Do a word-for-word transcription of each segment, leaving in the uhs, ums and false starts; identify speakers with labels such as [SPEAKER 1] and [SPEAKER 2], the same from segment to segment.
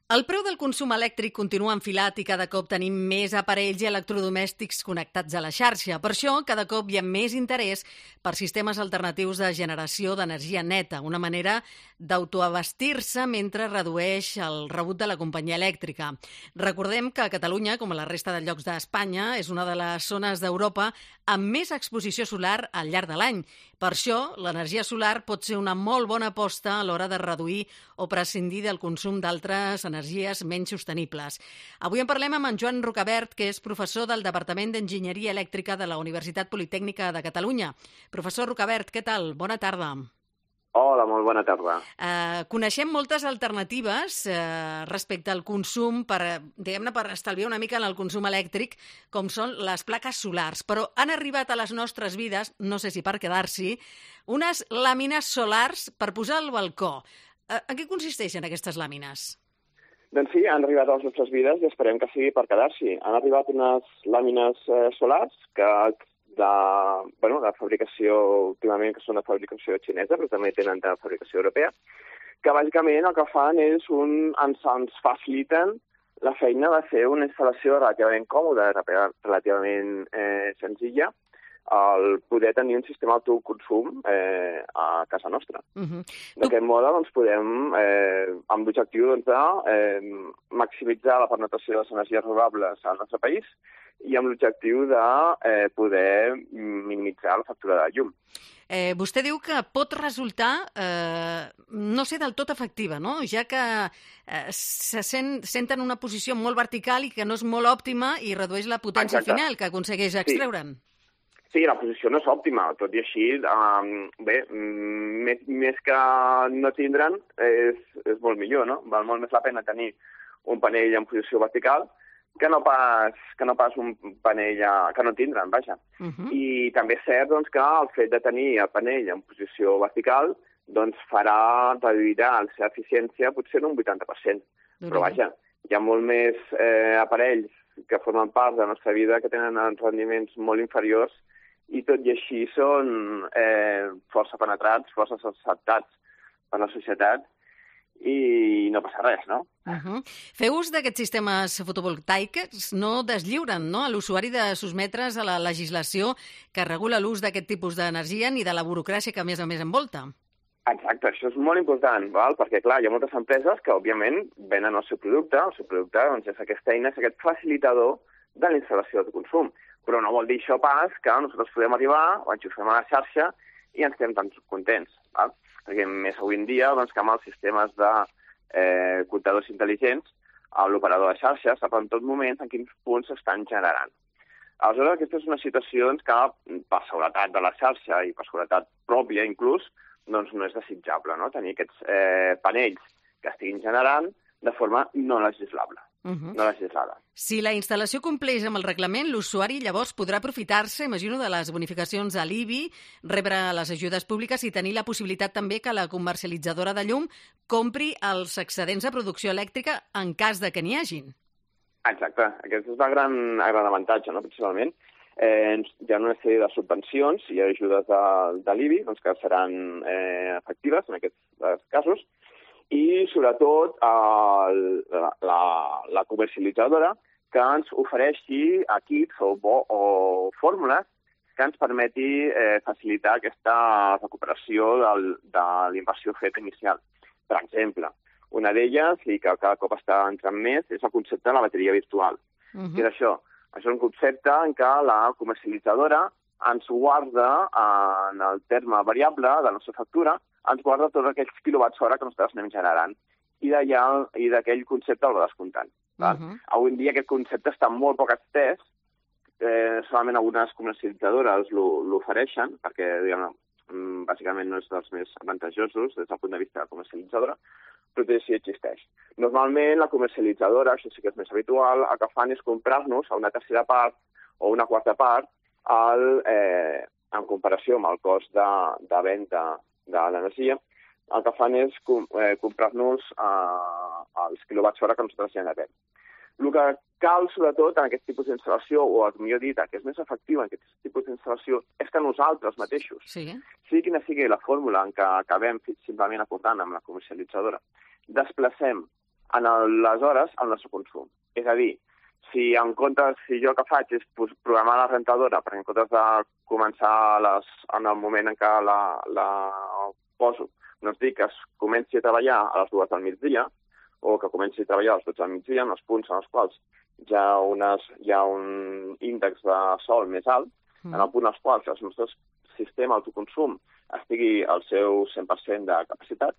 [SPEAKER 1] El preu del consum elèctric continua enfilat i cada cop tenim més aparells i electrodomèstics connectats a la xarxa. Per això, cada cop hi ha més interès per sistemes alternatius de generació d'energia neta, una manera d'autoabastir-se mentre redueix el rebut de la companyia elèctrica. Recordem que Catalunya, com a la resta de llocs d'Espanya, és una de les zones d'Europa amb més exposició solar al llarg de l'any. Per això, l'energia solar pot ser una molt bona aposta a l'hora de reduir o prescindir del consum d'altres energies menys sostenibles. Avui en parlem amb en Joan Rocabert, que és professor del Departament d'Enginyeria Elèctrica de la Universitat Politècnica de Catalunya. Professor Rocabert, què tal? Bona tarda.
[SPEAKER 2] Hola, molt bona tarda.
[SPEAKER 1] Eh, coneixem moltes alternatives eh, respecte al consum, per, diguem-ne, per estalviar una mica en el consum elèctric, com són les plaques solars, però han arribat a les nostres vides, no sé si per quedar-s'hi, unes làmines solars per posar al balcó. Eh, en què consisteixen aquestes làmines?
[SPEAKER 2] Doncs sí, han arribat a les nostres vides i esperem que sigui per quedar-s'hi. Han arribat unes làmines eh, solars que de, bueno, de fabricació, últimament, que són de fabricació xinesa, però també tenen de fabricació europea, que bàsicament el que fan és un, ens, ens faciliten la feina de fer una instal·lació relativament còmoda, relativament eh, senzilla, el poder tenir un sistema d'autoconsum eh, a casa nostra. Uh-huh. D'aquest mode doncs, podem, eh, amb l'objectiu doncs, de eh, maximitzar la penetració de les energies renovables al nostre país i amb l'objectiu de eh, poder minimitzar la factura de llum.
[SPEAKER 1] Eh, vostè diu que pot resultar, eh, no sé, del tot efectiva, no? Ja que eh, se sent, senten una posició molt vertical i que no és molt òptima i redueix la potència Exacte. Final que aconsegueix extreure'n.
[SPEAKER 2] Sí. Sí, la posició no és òptima, tot i així, um, bé, més, més que no tindre'n és, és molt millor, no? Val molt més la pena tenir un panell en posició vertical que no pas, que no pas un panell a, que no tindre'n, vaja. Uh-huh. I també és cert doncs, que el fet de tenir el panell en posició vertical doncs, farà reduirà la seva eficiència potser un vuitanta per cent. Uh-huh. Però vaja, hi ha molt més eh, aparells que formen part de la nostra vida que tenen rendiments molt inferiors i tot i així són eh, força penetrats, força acceptats per la societat i no passa res, no?
[SPEAKER 1] Uh-huh. Fer ús d'aquests sistemes fotovoltaics no deslliuren, no?, a l'usuari de sotmetre's a la legislació que regula l'ús d'aquest tipus d'energia ni de la burocràcia que a més a més envolta.
[SPEAKER 2] Exacte, això és molt important, val? Perquè clar, hi ha moltes empreses que òbviament venen el seu producte, el seu producte doncs, és aquesta eina, és aquest facilitador de la instal·lació de consum. Però no vol dir això pas que nosaltres podem arribar, ho enxufem a la xarxa i ens quedem tan contents. Val? Perquè més avui en dia, doncs, que amb els sistemes de eh, comptadors intel·ligents, l'operador de xarxa sap en tot moment en quins punts s'estan generant. Aleshores, aquesta és una situació doncs, que per seguretat de la xarxa i per seguretat pròpia inclús, doncs no és desitjable, no? Tenir aquests eh, panells que estiguin generant de forma no legislable. Uh-huh. No legislada.
[SPEAKER 1] Si la instal·lació compleix amb el reglament, l'usuari llavors podrà aprofitar-se, imagino, de les bonificacions a l'I B I, rebre les ajudes públiques i tenir la possibilitat també que la comercialitzadora de llum compri els excedents de producció elèctrica en cas de que n'hi hagin.
[SPEAKER 2] Exacte. Aquest és el gran, el gran avantatge, no? Principalment. Eh, hi ha una sèrie de subvencions i ajudes de, de l'I B I doncs, que seran eh, efectives en aquests casos, i sobretot el, la, la comercialitzadora que ens ofereixi equips o, o fórmules que ens permeti eh, facilitar aquesta recuperació del, de l'inversió feta inicial. Per exemple, una d'elles, i que cada cop està entrant més, és el concepte de la bateria virtual. Uh-huh. Què és això? Això és un concepte en què la comercialitzadora ens guarda en el terme variable de la nostra factura, ens guarda tots aquells quilowatts hora que nosaltres anem generant i d'allà i d'aquell concepte el va descomptant. Uh-huh. Avui en dia aquest concepte està molt poc estès, eh, solament algunes comercialitzadores l'ofereixen, perquè diguem, bàsicament no és dels més avantatjosos des del punt de vista de la comercialitzadora, però tot així existeix. Normalment la comercialitzadora, això sí que és més habitual, el que fan és comprar-nos a una tercera part o una quarta part el, eh, en comparació amb el cost de, de venda de l'energia, el que fan és com, eh, comprar-nos eh, els quilowatts hora que nosaltres generem. El que cal, sobretot, en aquest tipus d'instal·lació, o millor dit, que és més efectiu en aquest tipus d'instal·lació, és que nosaltres mateixos, sí. sigui quina sigui la fórmula en què acabem simplement acordant amb la comercialitzadora, desplacem en el, les hores al nostre consum. És a dir, si en comptes, si jo el que faig és programar la rentadora, perquè en comptes de començar les, en el moment en què la, la poso, doncs dic que es comenci a treballar a les dues del migdia, o que comenci a treballar a les dotze del migdia, en els punts en els quals hi ha, unes, hi ha un índex de sol més alt, mm. en el punt als quals el nostre sistema d'autoconsum estigui al seu cent per cent de capacitat,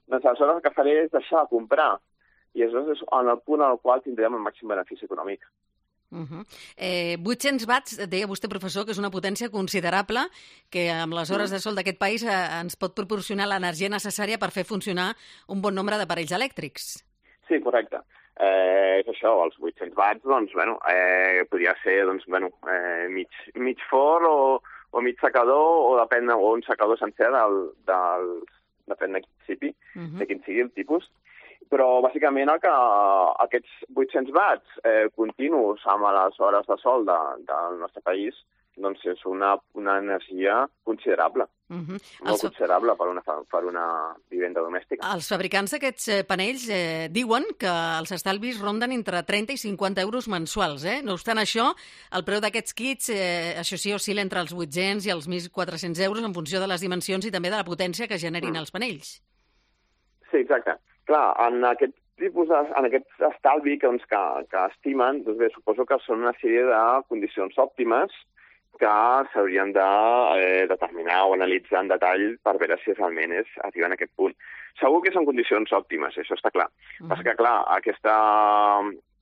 [SPEAKER 2] doncs aleshores el que faré és deixar de comprar i aleshores és en el punt al qual tindrem el màxim benefici econòmic.
[SPEAKER 1] Uh -huh. eh, vuit-cents watts, deia vostè, professor, que és una potència considerable que amb les hores de sol d'aquest país eh, ens pot proporcionar l'energia necessària per fer funcionar un bon nombre d'aparells elèctrics.
[SPEAKER 2] Sí, correcte. Eh, és això, els vuit-cents watts, doncs, bueno, eh, podria ser, doncs, bueno, eh, mig, mig forn o, o mig secador, o depèn, o un secador sencer del, del, depèn de quin principi, uh -huh. de quin sigui el tipus. Però, bàsicament, el que, aquests vuit-cents watts eh, continus amb les hores de sol de, del nostre país, doncs és una, una energia considerable. Uh-huh. Molt els... considerable per una, per una vivenda domèstica.
[SPEAKER 1] Els fabricants d'aquests panells eh, diuen que els estalvis ronden entre trenta i cinquanta euros mensuals. Eh? No obstant això, el preu d'aquests kits, eh, això sí, oscil·la entre els vuit-cents i els mil quatre-cents euros en funció de les dimensions i també de la potència que generin mm. els panells.
[SPEAKER 2] Sí, exacte. Clar, en aquest tipus de, en aquest estalvi que, doncs, que, que estimen, doncs bé, suposo que són una sèrie de condicions òptimes que s'haurien de eh, determinar o analitzar en detall per veure si realment és arribar a aquest punt. Segur que són condicions òptimes, això està clar. Uh-huh. Perquè, clar, aquesta,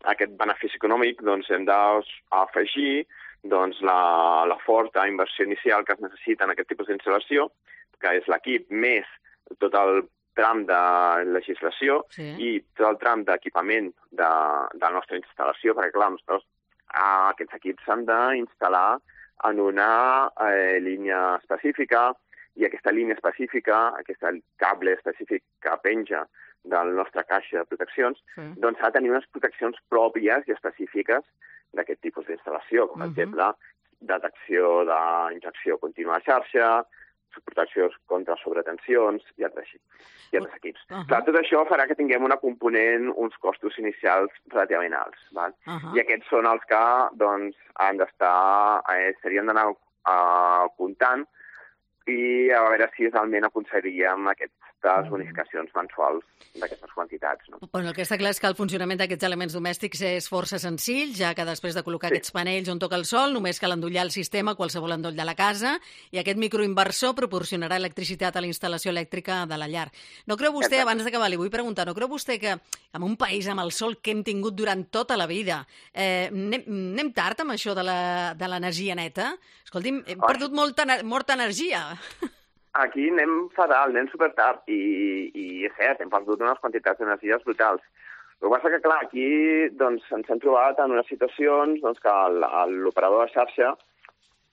[SPEAKER 2] aquest benefici econòmic doncs, hem d'afegir doncs, la, la forta inversió inicial que es necessita en aquest tipus d'instal·lació, que és l'equip més tot el tram de legislació sí. i tot el tram d'equipament de, de la nostra instal·lació, perquè, clar, nosaltres, ah, aquests equips s'han d'instal·lar en una eh, línia específica i aquesta línia específica, aquest cable específic que penja del nostre caixa de proteccions, sí. doncs ha de tenir unes proteccions pròpies i específiques d'aquest tipus d'instal·lació, com per uh -huh. exemple detecció d'injecció contínua de xarxa, protecció contra sobretensions i altres, i altres equips. Uh -huh. Clar, tot això farà que tinguem una component, uns costos inicials relativament alts. Val? Uh -huh. I aquests són els que doncs, han d'estar, eh, serien d'anar uh, comptant i a veure si realment aconseguiríem aquestes bonificacions mensuals d'aquestes quantitats. No?
[SPEAKER 1] Bueno, el que està clar és que el funcionament d'aquests elements domèstics és força senzill, ja que després de col·locar sí. aquests panells on toca el sol, només cal endollar el sistema a qualsevol endoll de la casa i aquest microinversor proporcionarà electricitat a la instal·lació elèctrica de la llar. No creu vostè, abans d'acabar, li vull preguntar, no creu vostè que en un país amb el sol que hem tingut durant tota la vida, eh, anem, anem tard amb això de l'energia neta? Escolti'm, hem oh. perdut molta, molta energia.
[SPEAKER 2] Aquí anem fatal, anem supertard, i, i és cert, hem perdut unes quantitats d'energies brutals. El que passa que, clar, aquí doncs, ens hem trobat en unes situacions doncs, que l'operador de xarxa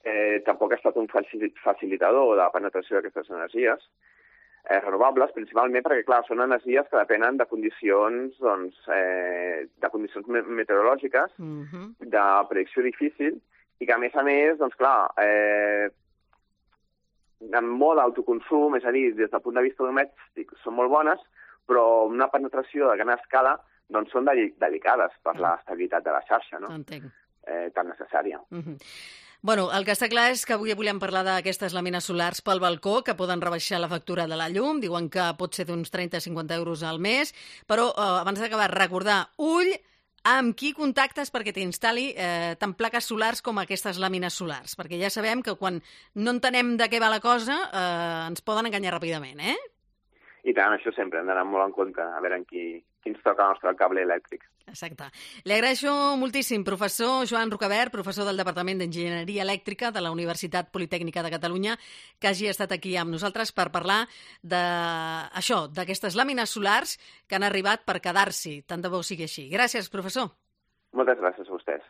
[SPEAKER 2] eh, tampoc ha estat un facilitador de la penetració d'aquestes energies eh, renovables, principalment perquè, clar, són energies que depenen de condicions, doncs, eh, de condicions meteorològiques, uh-huh. de predicció difícil, i que, a més a més, doncs, clar, eh, en molt d'autoconsum, és a dir, des del punt de vista domèstic, són molt bones, però una penetració de gran escala doncs són delicades per l'estabilitat de la xarxa, no?
[SPEAKER 1] Entenc.
[SPEAKER 2] Eh, tan necessària.
[SPEAKER 1] Uh-huh. Bueno, el que està clar és que avui volem parlar d'aquestes làmines solars pel balcó que poden rebaixar la factura de la llum, diuen que pot ser d'uns trenta a cinquanta euros al mes, però eh, abans d'acabar, recordar, ull, amb qui contactes perquè t'instal·li eh, tant plaques solars com aquestes làmines solars? Perquè ja sabem que quan no entenem de què va la cosa eh, ens poden enganyar ràpidament, eh?
[SPEAKER 2] I tant, això sempre, hem d'anar molt en compte a veure en qui, qui ens toca el nostre cable elèctric.
[SPEAKER 1] Exacte. Li agraeixo moltíssim, professor Joan Rocabert, professor del Departament d'Enginyeria Elèctrica de la Universitat Politècnica de Catalunya, que hagi estat aquí amb nosaltres per parlar d'això, d'aquestes làmines solars que han arribat per quedar-s'hi. Tant de bo sigui així. Gràcies, professor.
[SPEAKER 2] Moltes gràcies a vostès.